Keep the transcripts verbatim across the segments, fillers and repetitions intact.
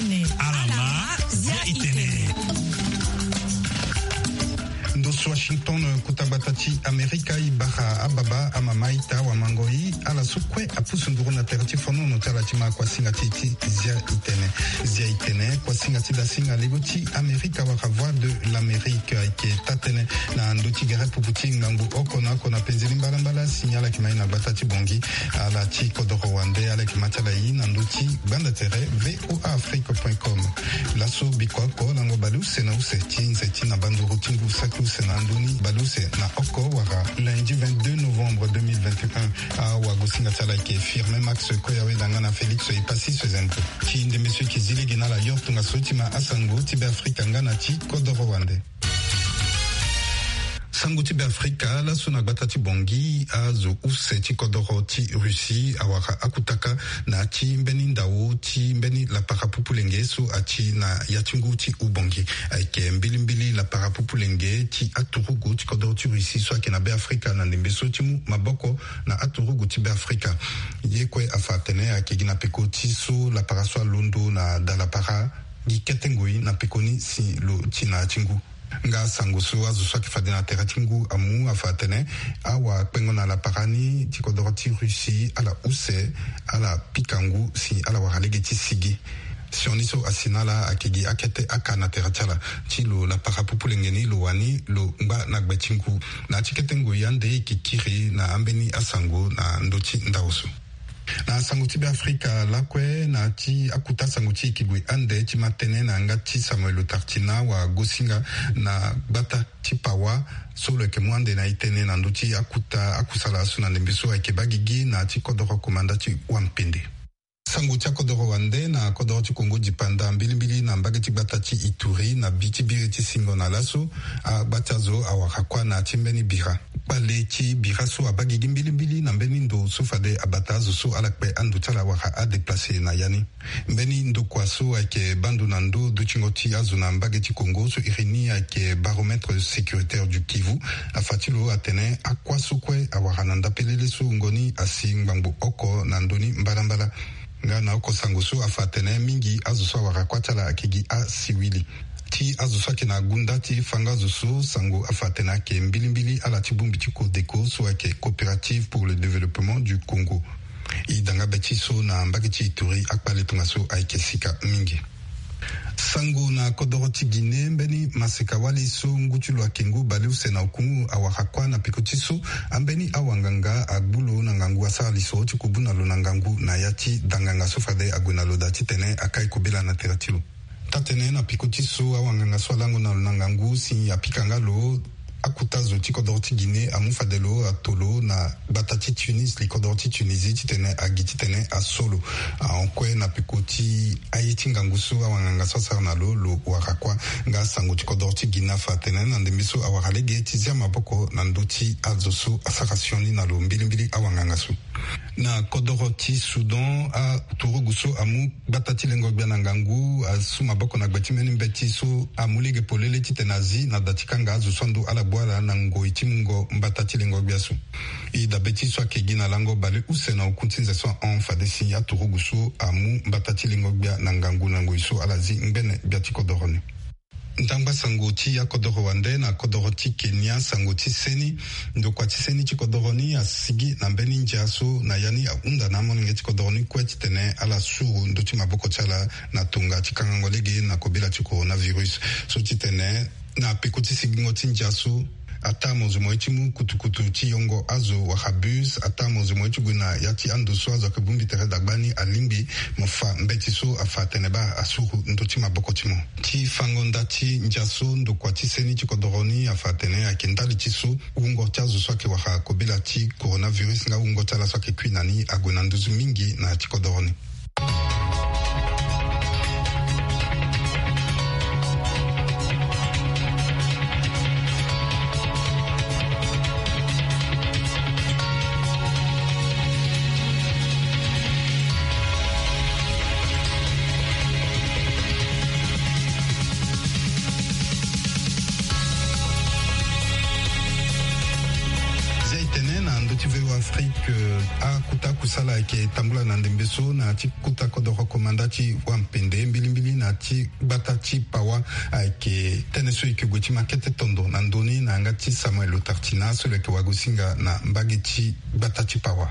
Alama, zia itene. Ndo so Washington, kota gbata ti Amerika, e bara ababa, amama, ita, wamango, e ala so kue apusu nduru na tere ti fonono ti ala ti ma kuasinga ti, ti zia itene. Zia itene, kuasinga ti dasinga lego ti Amerika wala Voix de l'Amérique, ayeke taa-tënë na ndö ti gere pupu ti ngangu oko na oko na penzeni mbalambala, si ala yeke ma e na gbata ti Bangui. Ala ti kodoro wande, ala yeke ma ti ala e na ndö ti gbanda tere V O A Afrique point com. Laso bikua oko lango baleuse na use ti nze ti na banduru ti ngu saki use na ndoni baleuse na oko wala lundi vingt-deux novembre deux mille vingt et un. Awagosinga ti ala ayeke Firmin Max Koyawe, danga na Félix Epassi Sezento. Ti ndembe so e yeke zi lege na ala yo tongaso ti ma asango ti Beafrika nga na ti kodoro wande. Sango ti Beafrika, laso na gbata ti Bangui, azo use ti kodoro ti Russie awara akutaka na ya ti mbeni ndao ti mbeni lapara pupulenge so ati na ya ti ngu ti Ubangui. Ayeke mbilimbili lapara pupulenge ti aturugu ti kodoro ti Russie so ayeke na Beafrika na ndembe so ti mu maboko na aturugu ti Beafrika. Ye kue afa atene ayeke gi na peko ti so lapara so alondo na dalapara gi kete ngoi na peko ni si lo ti na ya ti ngu. Nga sango so azo so ayeke fade na tere ti ngu amu afa atene awakpengo na lapara ni ti kodoro ti Russie ala use, ala pika ngu si ala wara lege ti sigi. Sioni so asi na ala ayeke gi akete aka na tere ti ala ti lo lapara pupulenge ni lo wani lo ngba na gbe ti ngu. Na ya ti kete ngoi ande e yeke kiri na ambeni asango na ndö ti ndao so. Na sango ti Beafrika lakue, na ya ti akuta sango ti yeke gue ande ti ma tënë na yanga ti Samuel Otartina, awagosinga na gbata ti Pawa so lo yeke mu ande na e tënë na ndö ti akuta akusala so na ndembe so ayeke baa gigi na ya ti kodoro komanda ti Wampende. Sango ti akodoro wande, na kodoro ti Kongo dipanda mbilimbili na mbage ti gbata ti Ituri na bi ti biri ti singo na laso, agbata zo awara kuâ na ya ti mbeni bira. Kpale ti bira so abaa gigi mbilimbili na mbeni ndo so fade abata azo so ala kpe ando ti ala wala adeplace na ya ni. Mbeni ndokua so ayeke baa ndo na ndo dutingo ti azo na mbage ti Kongo so iri ni ayeke baromètre sécuritaire du Kivu, afa ti lo atene akuâ so kue awara na ndapelele so wungo ni asi ngbangbo oko na ndö ni mbalambala. Nga na oko sango so afa atene mingi azo so awara kuâ ti ala ayeke gi asiwili. Ti azo so ayeke na gunda ti fango azo so, sango afa atene ayeke mbilimbili ala ti bongbi ti Codeco so ayeke Coopérative pour le Développement du Congo. E danga be ti so na mbage ti Ituri, akpale tongaso ayeke sika mingi. Sango na kodoro ti Guinée, mbeni maseka-wali so ngu ti lo ayeke ngu baleuse na oku awara kuâ na peko ti so ambeni awanganga agbu lo na ngangu, asara lisoro ti kubu na lo na ngangu na ya ti danganga so fade ague na lo daa titene akai kobela na tere ti lo. Taa-tënë, na peko ti so awanganga so alango na lo na ngangu si apika nga lo, akuta zo ti kodoro ti Guinée amu fade lo ato lo na gbata ti Tunis, li kodoro ti Tunisie, titene agi titene aso lo. Ahon kue na peko ti aye ti ngangu so awanganga so asara na lo, lo wara kuâ. Nga sango ti kodoro ti Guinée afa atene na ndembe so awara lege ti zia maboko na ndö ti azo so asara sioni na lo mbilimbili awanganga so. Na kodoro ti Soudan, aturugu so amu gbata ti lengo-gbia na ngangu asu maboko na gbe ti mbeni mbeti so amu lege polele titene azi na da ti kanga azo so ando ala gbu ala na ngoi ti mungo mbata ti lengo-gbia so. E dabe ti so ayeke gi na lango baleuse na oku ti nze so ahon fade si aturugu so amu mbata ti lengo-gbia na ngangu na ngoi so ala zi ngbene gbia ti kodoro ni. Ndangba sango ti akodoro wande, na kodoro ti Kenya, sango ti seni. Ndokua ti seni ti kodoro ni asigi na mbeni ndia so na ya ni ahunda na amolenge ti kodoro ni kue titene ala suru ndö ti maboko ti ala na tonga ti kangango lege na kobela ti coronavirus. So titene na peko ti sigingo ti ndia so, ataa mozo mo ye ti mu kutukutu ti yongo azo wala bus, ataa mozo mo ye ti gue na ya ti ando so azo ayeke bongbi tere dagba ni alingbi mo fa mbeti so afa atene baa asuru ndö ti maboko ti mo. Ti fango nda ti ndia so, ndokua ti seni ti kodoro ni afa atene ayeke ndali ti so wungo ti azo so ayeke wara kobela ti coronavirus nga wungo ti ala so ayeke kui na ni ague na nduzu mingi na ya ti kodoro ni. Zia e tene na ndö ti V O A Afrique. Ke akota kusala ayeke tambula na ndembe so na ya ti kota kodoro komanda ti wampende mbilimbili na ya ti gbata ti Pawa. Ayeke tënë so e yeke gue ti ma kete tondo na ndö ni na yanga ti Samuel Lotartina so lo yeke wagosinga na mbage ti gbata ti Pawa.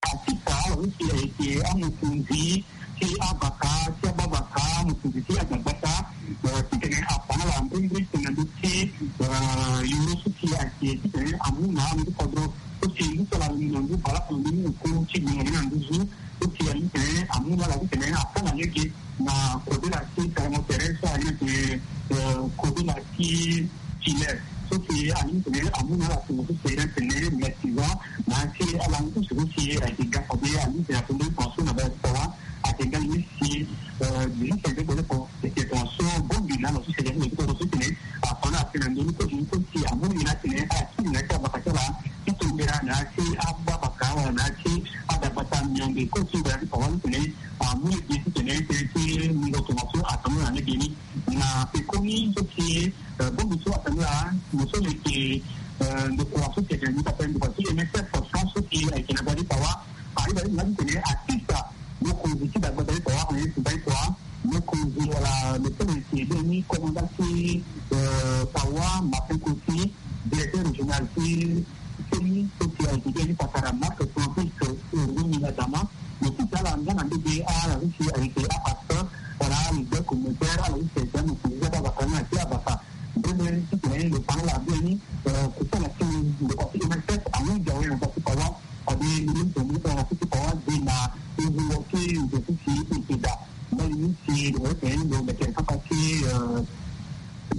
Atita, ala so si ayeke amokonzi ti abaka ti ababaka, amokonzi ti adagbata, eh, titene afa na ala mbrimbri tene na ndö ti, eh, yoro so si ayeke titene amu na ame ti kodro so si ngu so ala na ngu baleoko na ndö ni oko ti gbingo ni na nduzu so si ayeke titene amu na ala titene afa na lege na kodela ti sarango tere so ayeke, eh, kodela ti Chile so si alingbi tene amu na ala tongaso so si ayeke tene mestiza na ya ti alango ti so si ayeke ga fade alingbi tene atonda ti tongaso na baleoko ti Pawa. Ayeke ndali ni si, eh, dix-huit février baleoko ayeke tongaso bongbi na ala so si ayeke na ala so tene afa na ala tene na ndö ni kue ti ni kue si amu ni na tene ala kiri na ya ti abaka ti ala ti tongera na ya ti ababaka wala na ya ti adagbata mionde kue ti baleoko ti Pawa ni tene amu lege ti tene tënë ti mungo tongaso atambula na lege ni. Na pekoni so si, eh, bongbi so atambula, mo so lo yeke, eh, ndokua so si ayeke na ni pepe ndokua ti M S F France so si ayeke na gbata ti Pawa. Ayeke na ni titene atisa mokonzi ti dagbata ti Pawa, Agnès Mbaye Pawa, mokonzi wala lo so lo yeke beni komanda ti, eh, Pawa, Martin Kossi, directeur régional ti C E N I so si ayeke beni patara Marc Francis Ngongi Adama. Lo ti ti ala nga na ndege ala so si ayeke apasteur wala aleader communautaire, ala so si ayeke amokonzi ti ababaka na ya ti ababaka. Mbeni titene lo fa na ala mbeni, eh, kusala ti ndokua ti M S F amu ndia awe na gbata ti Pawa. Fade mbeni titene lo fa na ala ti Pawa gi na nzungo ti nze so si e yeke daa. Mbeni ni si lo yeke lo meke na kapa ti, eh,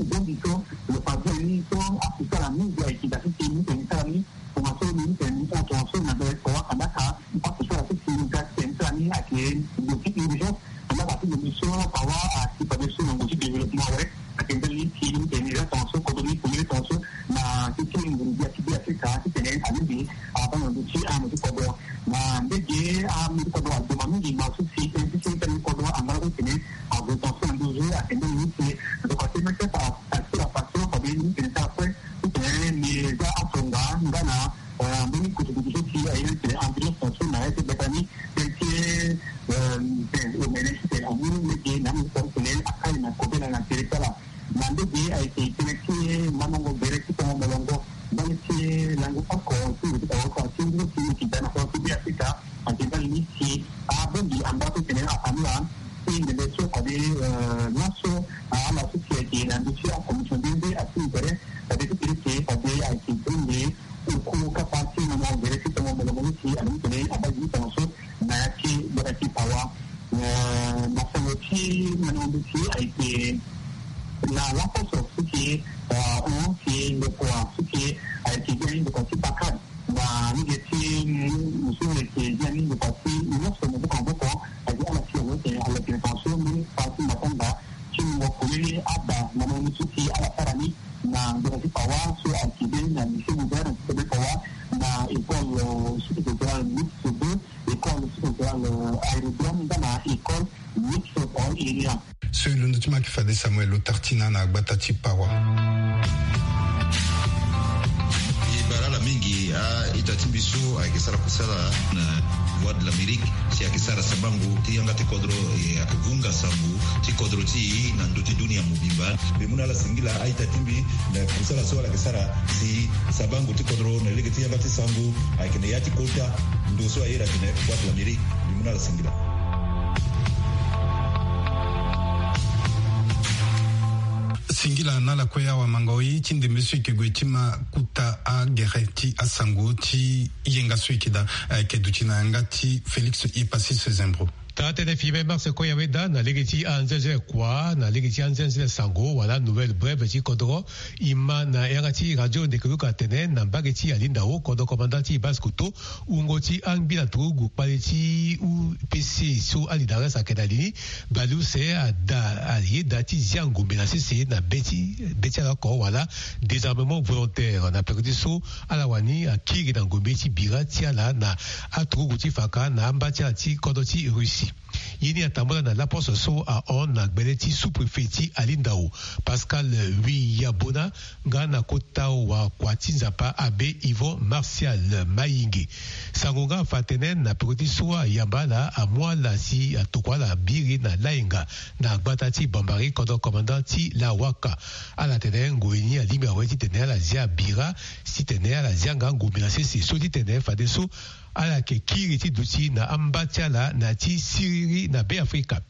bongbi so lo fa mbeni so akusala mingi ayeke daa so si mbeni titene sara ni. Tongaso ni tene ni tongaso na baleoko ti Pawa kandaka. Parce que so ala so si ni ga tene so ala ni ayeke ngu ti urgence. Kandaka ti lo ni so Pawa asi fade so na ngu ti développement awe. Ayeke ndali ni ti ni tene ni ga tongaso kodro ni tene ni tongaso na ti ti nguru gbia ti gbia ti ka ti tene alingbi abaa na ndö ti ame ti kodro. Na ndege ame ti kodro adoma mingi ma so si tene ti ti tene ti kodro angala so tene ague tongaso na nduzu. Ayeke ndali ni ti ndoka ti mete pa asira pa so fade ni tene ti ala kue. Titene ni za atonga nga na, eh, mbeni kutukutu so si aye titene ambulance na so na ya ti gbata ni tene ti, eh, mpe omene titene amu lege na ame ti kodro titene akali na kobela na tere ti ala. Na ndege ayeke tënë ti manongo gere ti tongo molongo ndali ti lango oko ti ngu ti tawa oko ti ngu ti yeke daa na kodro ti Be Afrika. Ayeke ndali ni si abongbi amba so titene afa na ala ti ndembe so fade, eh, laso, ah, ala so si ayeke na ndö ti akomision nde nde asi intérêt fade ti kiri ke fade ayeke bongbi oko kapa ti manongo gere ti tongo molongo ni si alingbi titene abaa gi ti tongaso na ya ti gbata ti Pawa. Eh, na sango ti manongo nduti ayeke na laposo so si, eh, hon si ndokua so si ayeke gi ani ndokua ti pakad. Na lege ti mu so ayeke gi ani ndokua ti nyonso maboko na maboko. Ayeke ala si awe tene ala yeke na tongaso mbeni kpa ti matanga ti mungo polele aba manongo nduti so si ala sara ni. Na ndokua ti Pawa so ayeke be na lycée moderne ti Pawa, na école, euh, sous-préfectorale mixte deux, école sous-préfectorale, euh, aérodrome nga na école mixte Pawa Area. So e londo ti ma ayeke fade Samuel Lotartina na gbata ti Pawa. E bara ala mingi a-ita ti mbi so ayeke sara kusala na Voix de l'Amérique. Si ayeke sara sabango ti yanga ti kodro, e ayeke vunga sango ti kodro ti e na ndö ti dunia mobimba. Mbi mu na ala singila a-ita ti mbi na kusala so ala yeke sara si sabango ti kodro na lege ti yanga ti sango ayeke na ya ti kota ndo so aye ayeke na Voix de l'Amérique. Mbi mu na ala singila. Singila na ala kue awamango ye ti ndembe so e yeke gue ti ma kota agere ti asango ti yenga so e yeke daa, eh, ayeke duti na yanga ti Félix Epasis Zembro. Taa tënë fimbe mars koya weda na lege ti anzenze kua na lege ti anzenze sango wala nouvelle brève ti kodro, e ma na yanga ti radio ndeke luka atene na mbage ti Alindaho kodro commandant ti Basse-Kotto, wungo ti angbi na turugu kpale ti U P C so Ali Dares ayeke na li ni, baleuse ada ayeda ti zia ngombe na sese na be ti be ti ala oko wala désarmement volontaire na peko ti so ala wani akiri na ngombe ti bira ti ala na aturugu ti faka na amba ti ala ti kodro ti Russie. Ye ni atambula na laposte so ahon na gbele ti sous-préfet ti Alindao, Pascal Wiyabona, nga na kota wakua ti Nzapa, abbé Yvon Martial Mayinge. Sango nga afa atene na peko ti so ayamba ala amu ala si atokua ala biri na Layenga, na gbata ti Bambari, kodro commandant ti Lawaka. Ala tene ngoi ni alingbi awe titene ala zia bira, titene ala zia nga ngombe na sese so titene fadeso ala yeke kiri ti duti na amba ti ala na ya ti siriri na Beafrika.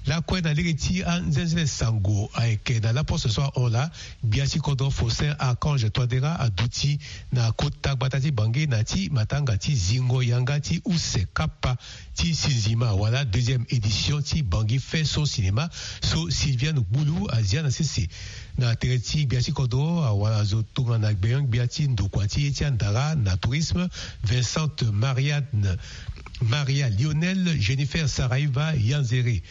Lakue na lege ti anzenzele sango ayeke na laposte so ahon laa, gbia ti kodro Faustin Archange Touadéra aduti na kota gbata ti Bangui na ya ti matanga ti zingo yanga ti use kapa ti sinzima wala deuxième édition ti Bangui Fait Son Cinéma so Sylviane Gboulou azia na sese. Na tere ti gbia ti kodro, awara azo tongana gbenyo-gbia ti ndokua ti ye ti andara na tourisme, Vincente Marianne, Maria Lionel, Jennifer Saraiva Yanzere.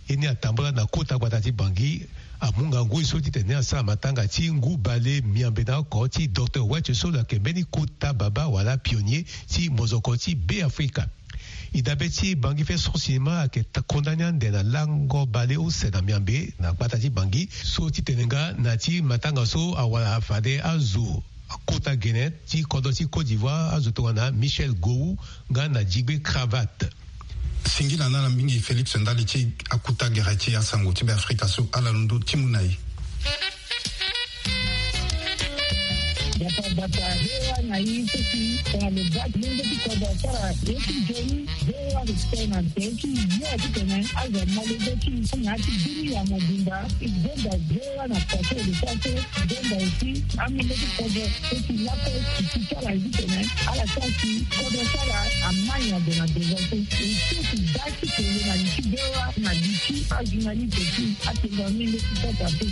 Ye ni atambula na kota gbata ti Bangui, amu nga ngoi so titene asara matanga ti ngu bale miambe na oko ti docteur Wetch so lo yeke mbeni kota baba wala pionnier ti mozoko ti Beafrika. E dabe ti Bangui Fait Son Cinéma ayeke ta-, condamné ande na lango bale use na miambe na gbata ti Bangui so titene nga na ya ti matanga so awara fade azo akota gene ti kodro ti Côte d'Ivoire, azo tongana Michel Gowou nga na Djigbe Cravate. Singila na ala mingi Félix ndali ti akuta gere ti asango ti Beafrika so ala londo ti mu na e. Bata bata, V O A na i seki tongana lo baa ti lenge ti kodro asara ye ti nzoni. V O A respect na nze ti yo titene azo amolenge ti na ya ti bini ya mobimba. I gbenda V O A na kua so lo sara so. I gbenda aussi amolenge ti kodro seki lakue ti ti sara ye titene ala sara si kodro sara amai na gue na devant so. I seki baa ti kele na li ti V O A na li ti ajournaliste ti atengo amolenge ti kodro ape.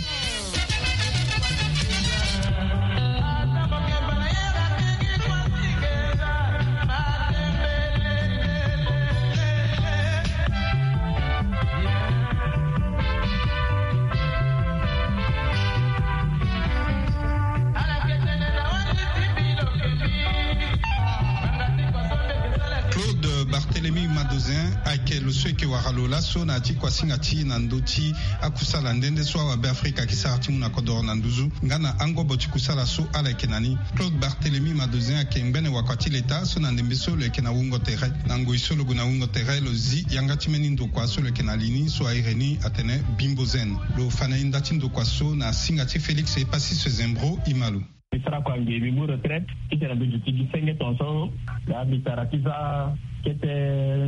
Claude Barthélemy Madozin ayeke lo so eke wara lo laso na ya ti kuasinga ti na ndö ti akusala nde nde so awabe Afrika ayeke sara ti mu na kodoro na nduzu nga na angobo ti kusala so ala yeke na ni. Claude Barthélemy Madozin ayeke ngbene wakua ti leta so na ndembe so lo yeke na wungo tere. Na ngoi so lo gue na wungo tere lo zi yanga ti mbeni ndokua so lo yeke na li ni so airi ni atene Bimbo Zen. Lo fa na e nda ti ndokua so na singa ti Félix Epasis Zembro Imalo. Mbi sara kua nge mbi mu retraite titene mbi duti gi senge tongaso. Laa mbi sara ti za kete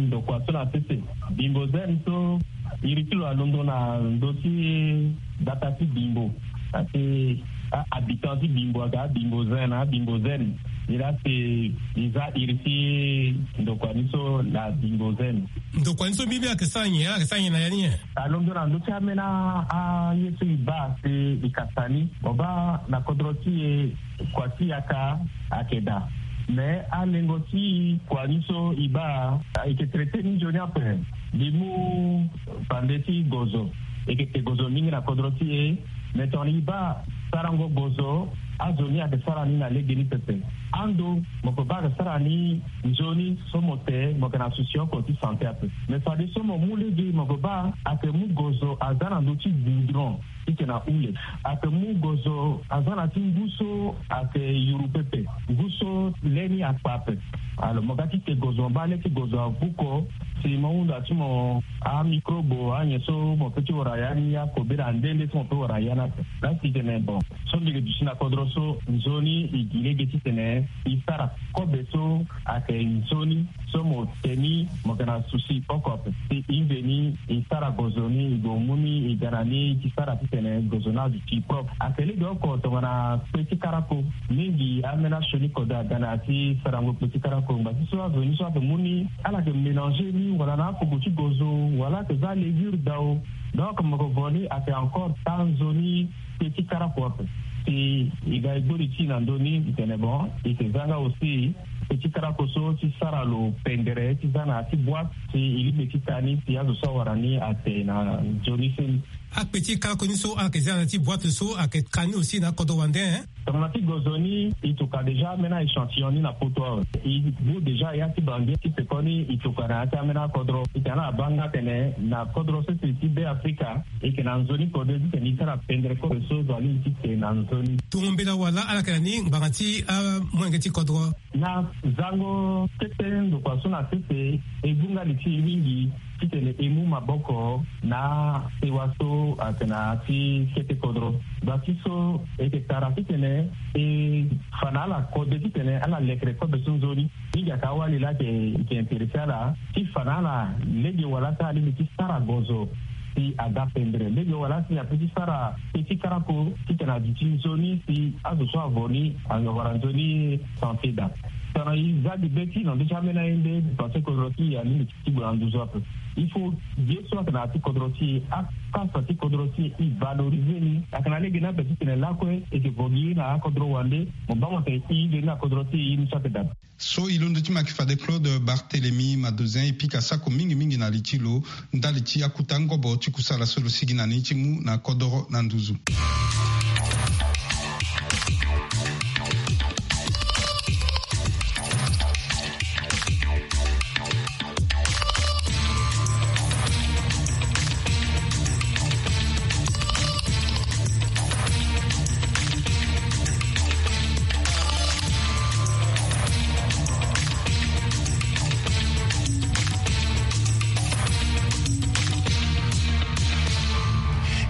ndokua so na sese. Bimbo Zen so iri ti lo alondo na ndö ti gbata ti Bimbo. Asi a-habitant ti Bimbo aga Bimbo Zen na Bimbo Zen. Ni laa si i za iri ti ndokua ni so na Bimbo Zen. Ndokua ni so mbi mbi ayeke sara nyen, ayeke sara nyen na ya ni nyen? Alondo na ndö ti ambeni aye so e baa si e kasa ni. Mo baa na kodro ti e kua ti yaka ayeke daa. Me alengo ti kua ni so e baa e yeke traité ni nzoni ape. Mbi mu bande ti gozo. E yeke te gozo mingi na kodro ti e. Me tongana e baa sarango gozo, azo ni ayeke sara ni na legeni pepe. Ando mo yeke baa ayeke sara ni nzoni so mo te mo yeke na souci oko ti santé ape. Me fadeso mo mu lege mo yeke baa ayeke mu gozo aza na ndö ti goudron. Titene ahule. Ayeke mu gozo aza na ti ngu so ayeke yuru pepe. Ngu so le ni akpa ape. Alors mo ga ti te gozo mo baa le ti gozo avuko. Si mo hunda ti mo amicrobe anyen so mo pe ti wara ya ni akobe na nde nde so mo pe wara ya ni ape. Laa si tene bon so mbi yeke duti na kodro so nzoni e gi lege titene e sara kobe so ayeke nzoni so mo te ni mo yeke na souci oko ape. Si e mveni e sara gozo ni e gue mu ni e ga na ni e ti sara titene gozo ni aduti propre. Ayeke lege oko tongana kpe ti karako. Mingi ambeni asioni kode aga na ya ti sarango kpe ti karako ngba ti so azo ni so ayeke mu ni ala yeke mélanger ni wala na afugo ti gozo wala ayeke za levure dao. Donc mo yeke vo ni ayeke encore taa nzoni kpe ti karako ape. Si e ga e gbori ti e na ndö ni e tene bon e yeke za nga aussi kpe ti karako so ti sara lo pendere ti za na ya ti boîte si e lingbi ti taa ni si azo so awara ni ate na nzoni seni. Akpe ti kalako ni so ala yeke zia na ya ti boite so ayeke ka ni aussi na akodro wande, hein. Tongana ti gozo ni, e tokua déjà ambeni a-échantillon ni na poto awe. E bu déjà ya ti bangi ti pekoni, e tokua na ya ti ambeni akodro. E tene ala baa nga atene na kodro sese ti Be Afrika, e yeke na nzoni kode titene e sara pendere kobe so zo alingbi ti te na nzoni. Tongo mbela wala ala yeke na ni ngbanga ti amolenge ti kodro. Na zango kete ndokua so na sese, e gunga li ti e mingi titene e mu maboko na sewa so ayeke na ya ti kete kodro. Bati so e yeke tara titene e fa na ala kode titene ala lekere kobe so nzoni. Mingi ayeke awali laa ayeke, e yeke intéressé ala ti fa na ala lege wala si alingbi ti sara gozo si aga pendere, lege wala si ape ti sara pe ti karako titene aduti nzoni si azo so avo ni awara nzoni santé daa. Tongana e za gi be ti lo nde ti ambeni aye nde, e pense kodro ti e alingbi ti gue na nduzu ape. Il faut ye so ayeke na ya ti kodro ti e, akasa ti kodro ti e, e valoriser ni. Ayeke na lege ni ape titene lakue e yeke vo gi ye na akodro wande, mo baa mo tene e ye ni na kodro ti e, ye ni so ayeke daa. So e londo ti mo ayeke fade Claude Barthélemy Madozin, e pika sako mingi mingi na li ti lo ndali ti akuta ngobo ti kusala so lo sigi na ni ti mu na kodoro na nduzu.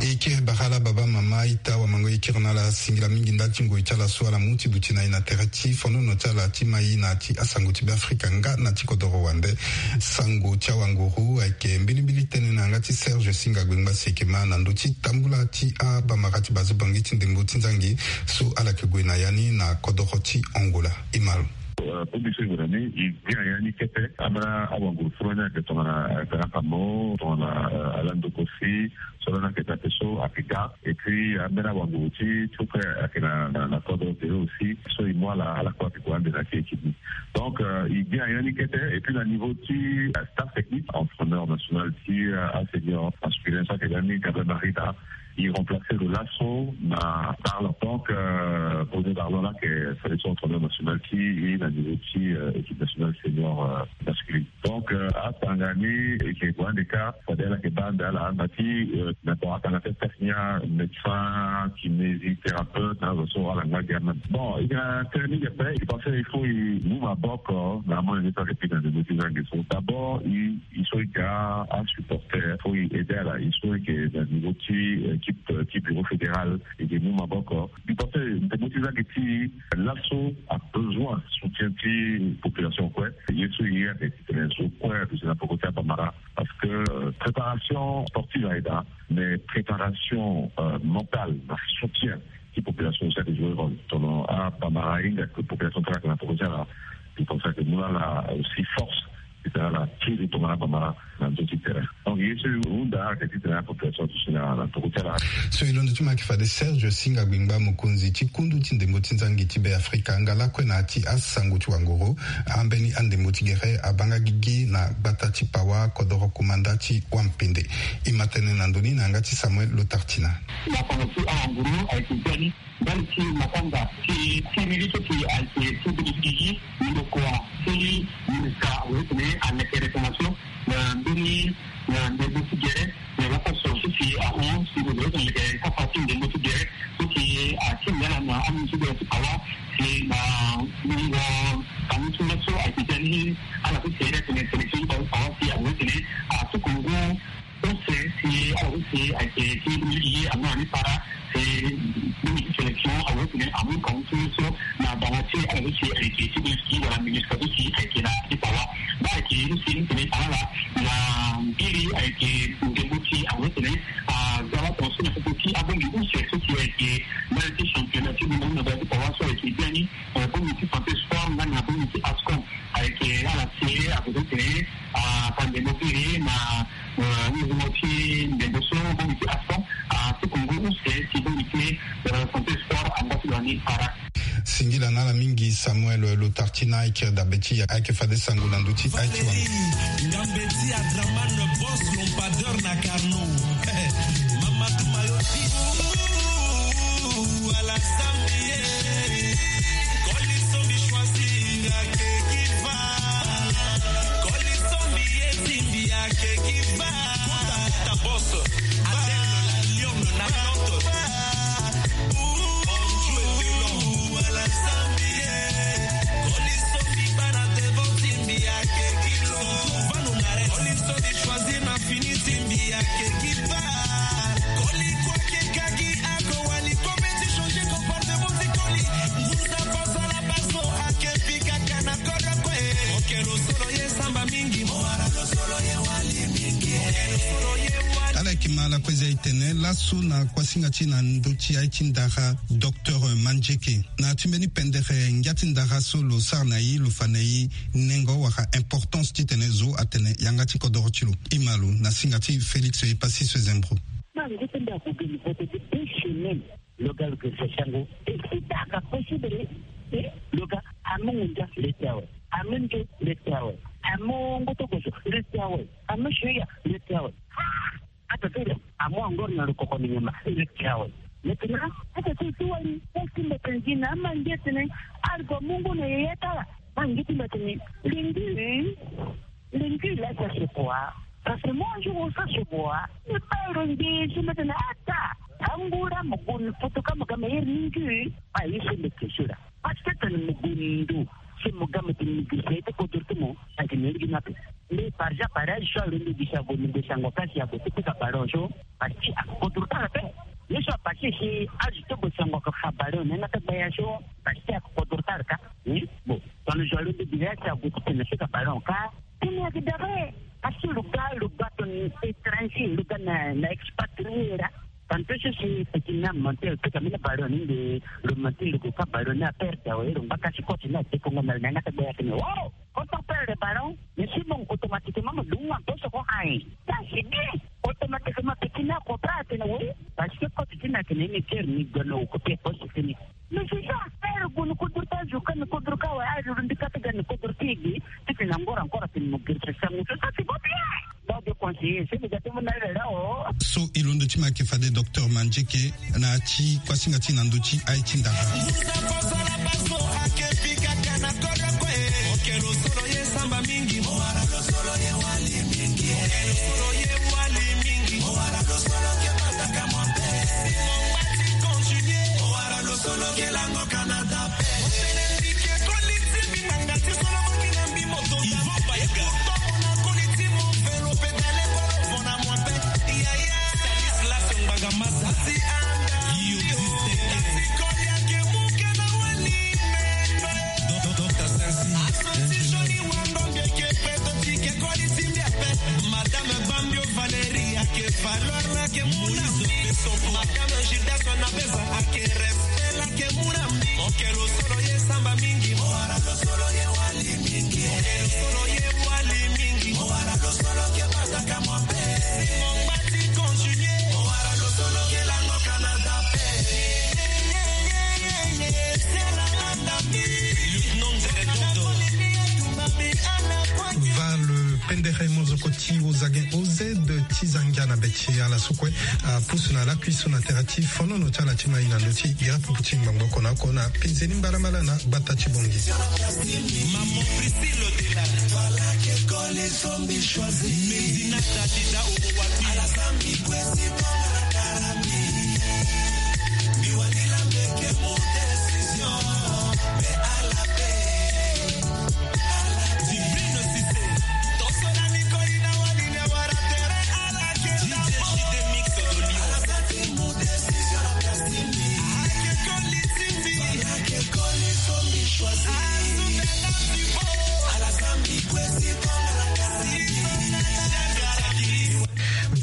E kiri bara ala baba, mama, ita, wamango, e kiri na ala singila mingi ndali ti ngoi ti ala so ala mu ti duti na e na tere ti fonono ti ala ti mai na ti asango ti Be Afrika nga na ti kodoro wande. Sango ti awanguru ayeke mbilimbili tënë na yanga ti Serge Singa Gbengba si e yeke ma na ndö ti tambula ti abamara ti bazo Bangui ti ndembo ti nzangi so ala yeke gue na ya ni na kodoro ti Angola. E ma lo. Bongbi so e gue na ni, e gi na ya ni kete. Ambeni awanguru furu ni ayeke tongana Grand Kamo, tongana, eh, Alain Ndokosi, so lani ayeke daa ape so ayeke ga. Et puis ambeni awanguru ti, ti kue ayeke na, na, na kodro tere aussi. So e mu ala, ala kue ayeke gue ande na ya ti équipe ni. Donc, euh, e gi na ya ni kete. Et puis na niveau ti, euh, staff technique, entraîneur national ti, euh, asenior masculin so ayeke ga ni, Gabriel Marita, e remplacer lo laso na Darlan. Donc, euh, Bruno Darlan la ayeke fade so entraîneur national ti e na niveau ti, euh, équipe nationale senior, euh, masculine. Donc, euh, atanga ni e yeke gue ande kâ, fade ala yeke baa ande ala, na ti, euh, na, bon, atanga ti astaff ni, médecin, kinésithérapeute, na azo so ala ngba gi amem. Bon, e yeke na tënë mingi ape. E pense il faut e mu maboko na amolenge so ayeke pika ndembo ti nzangi so. D'abord, e, e so e yeke asupporter, il faut e aider ala. E so e yeke na niveau ti, euh, équipe, euh, ti bureau fédéral, e yeke mu maboko. E pense ndembo ti nzangi ti e laso a besoin soutien ti population kue. Ye so e ye ayeke titene zo kue aduti na peko ti abamara. Parce que, euh, préparation sportive ayeke daa, mais préparation, euh, mentale na soutien ti population aussi ayeke jouer rôle. Tongana abamara ahinga que population ti ala ayeke na peko ti ala, e pense ayeke mu na ala aussi force titene ala kiri tongana abamara na ndö ti terrain. Donc ye so e hunda ayeke titene apopulation aduti na, na peko ti ala. So e londo ti mo ayeke fade Serge Singa Gbengba, mokonzi ti kundu ti ndembo ti nzangi ti Be Afrika, nga lakue na ya ti asango ti wanguru. Ambeni andembo ti gere abaa nga gigi na gbata ti Pawa, kodoro kumanda ti Wampende. E ma tene na ndö ni na yanga ti Samuel Lotartina. Masango ti awanguru ayeke biani ndali ti makanda ti, ti lili so si ayeke ti beni gigi, ndokua ti ministre awe titene aleke réclamation na mbeni, na ndembo ti gere, na laposo so si ahon si lo yeke leke kapa ti ndembo ti gere so si atinda ala na aministre ti Pawa, si na mungo amu ti laso ayeke ti ani ala so si ayeke tene sélection ti Pawa si awe tene atuku ngu use si ala so si ayeke ti lili ye amu na ni para si bongbi ti sélection awe tene amu kangu ti so na bango ti ala so si ayeke ti bongbi ti wala ministre so si ayeke na ti Pawa. Baa ayeke ye so si ni tene ala na mbiri ayeke ndembo ti awe tene aza la tongaso na popo ti abongbi use so si ayeke ndali ti championnat ti bongbi na bongbi ti Pawa so ayeke biani, eh, bongbi ti santé sport nga na bongbi ti ASCON. Ayeke ala si akozo tene, ah, ata ndembo ti iri na, eh, nzungo ti ndembo so bongbi ti ASCON, ah, ti kongo use ti bongbi ti, eh, santé sport anga ti lo ni para. Singila na ala mingi Samuel Lotartina, ayeke dabe ti ayeke fade sango na ndö ti aye ti wango. Ngambe ti Adraman, boss lampadeur na Carnot. Mama Kue za e tene laso na kuasinga ti na ndö ti aye ti ndara, docteur Mandieke. Na ti mbeni pendere ngia ti ndara so lo sara na e, lo fa na e nengo wala importance titene zo atene yanga ti kodoro ti lo. E ma lo na singa ti Félix Epassis Zembro. Ma ngu ti mbi ague geni vote de deux semaines. Lo ga lo gere sango. E si ta ka possible. E lo ga amu ngunza le ti awe. Amu nge le ti awe. Amu ngoto gozo le ti awe. Amu suya le ti awe. Ah! Ata ti lo amu angor na lo koko ni nyama le ti awe. Maintenant ata ti lo ti wali. Ata ti mbi atene gi na ama nge tene. Argo mungu na yeye tala. Ma nge ti mbi atene lingi. Lingi la sa se boa. Parce que moi un jour on sa se boa. Ni pa ro nge si mbi atene ata. Angura mo gun putu ka mo ga meilleur ni ngi. Pa yi se mbi ke sura. Parce que tene mo gun ndu. Si mo ga mo ti mo gi se ti kodro ti mo. Ake ni ligi na pe. Nde par exemple, pareil, so alondo gi si ague, mo gi sango kasi ague ti pika ballon so. Parce que akodro tara pe. Ye so apase si azo ti gue sango aka fa ballon na yanga ti gbaya so. Parce que akodro tara ka. Hmm? Bon. Tongana zo alondo gi si ague ti tene si ka ballon ka. Tene ayeke dabe. Parce que lo ga, lo ga tongana étranger, lo ga na, na expatrié laa. Tantôt so si petit na monté, lo pika mbeni ballon ni nde lo monté, lo gue ka ballon ni aperde awe, lo ngba kasi koti ni adekongo na lo na yanga ti gbaya atene, wow! Quand on perd le ballon, mais si bon, automatiquement mo dungu na poso ko aye. Ça c'est bien. Automatiquement petit na comprendre atene oui. Parce que koti ti na atene ni kere ni gue na occupé poso ti ni. Mais c'est ça. Ere gue ni kodro ti azo ka, ni kodro ka awe, azo lo mbi ka ti ga ni kodro ti e ge. Ti tene angora encore atene mo gere sango so, ça c'est pas bien. Donc de conseiller, c'est déjà tout le monde là, oh. So e londo ti mbi ayeke fade docteur Mandieke na ya ti kuasinga ti na ndö ti aye ti ndara. Madame Bambio Valérie ake valeur lake muna. Madame Gildas Nabeza ake respect lake muna. Okelo solo ye samba mingi. Owara lo solo ye wali mingi. Okelo solo ye wali mingi. Owara lo solo ke bataka mwa pe. Simon Bati continue. Owara lo solo ke lango Canada pe. C'est la landa mi. Lieutenant Zeredondo. Va le pendere mozoko ti ozagen oz ti zangia na be ti ala so kue apusu na lakui so na tere ti fonono ti ala ti mai na ndö ti gira pupu ti ngbangbo oko na oko na penzeni mbalambala na gbata ti bongi. Maman Priscille Odela. Medina Dadida Owati.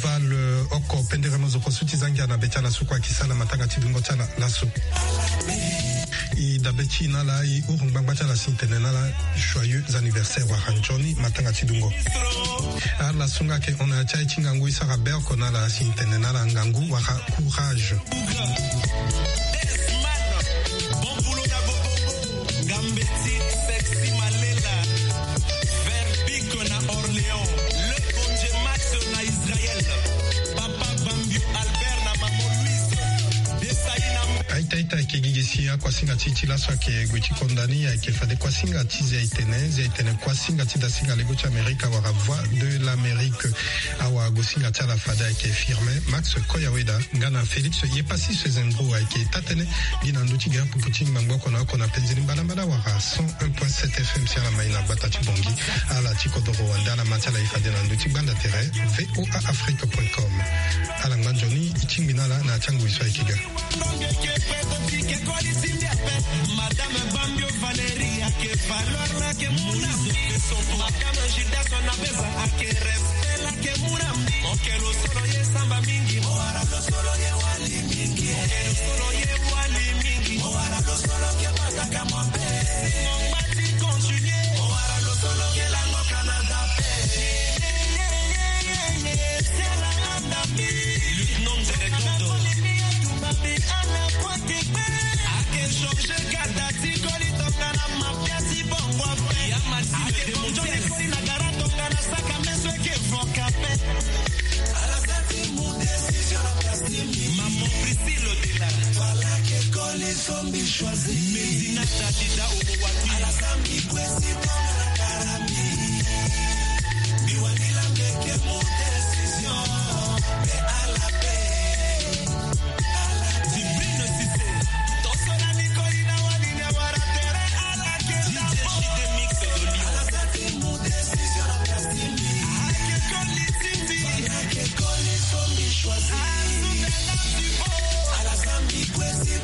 Val oko pendere mozoko so ti zangia na be ti ala so kue ayeke sara matanga ti dungo ti ala laso. E dabe ti e na ala, e huru ngbangba ti ala si e tene na ala joyeux anniversaire wala nzoni matanga ti dungo. Ala so nga ayeke hon na ya ti aye ti ngangu, e sara be oko na ala si e tene na ala ngangu wala courage. Aita aita ayeke gi gi si akuasinga ti e ti laso ayeke gue ti konda ni, ayeke fade kuasinga ti Zi a-itene, Zi a-itene kuasinga ti dasinga lego ti Amerika wala Voix de l'Amérique. Awagosinga ti ala fade ayeke Firmin Max Koyaweda nga na Félix Yepassis Zembro ayeke taa-tënë gi na ndö ti gira pupu ti ngbangbo oko na oko na penzeni mbalambala wala cent un point sept F M si ala mai na gbata ti Bangui. Ala ti kodoro wande ala ma ti ala e fade na ndö ti gbanda tere V O A Afrique point com. Ala ngba nzoni e tingbi na ala na ya ti angoi so ayeke ga. Madame Bambio Valérie ake valeur lake muna mbi. Madame Gildas Nabeza ake respect lake muna mbi. Oke lo solo ye samba mingi. Owara lo solo ye wali mingi. Oke lo solo ye wali mingi. Owara lo solo ke bataka mabe. Simon Mbati continue. Owara lo solo ke lango Canada pe. Lieutenant directeur de ake changer kata ti koli tongana mafia ti bongo ape. Ya Maxime ake bongo ni koli na gara tongana saka meso eke voka pe. Ala sa ti mu décision na place ti mbi. Maman Priscille Odela. Fala ke koli so mbi choisi. Medina Tadida Obowapi. Ala sa mbi kwesi tongana gara mbi. Mbi wani la mbi eke mu décision. Mais ala pe. Divine Cissé. Tosola ni koli na wani ni awara tere ala ke D J Chidemix de Lyon. Ala sa ti mu décision na place ti mbi. Ake koli ti mbi. Ake koli so mbi choisi. Ala sa mbi kwesi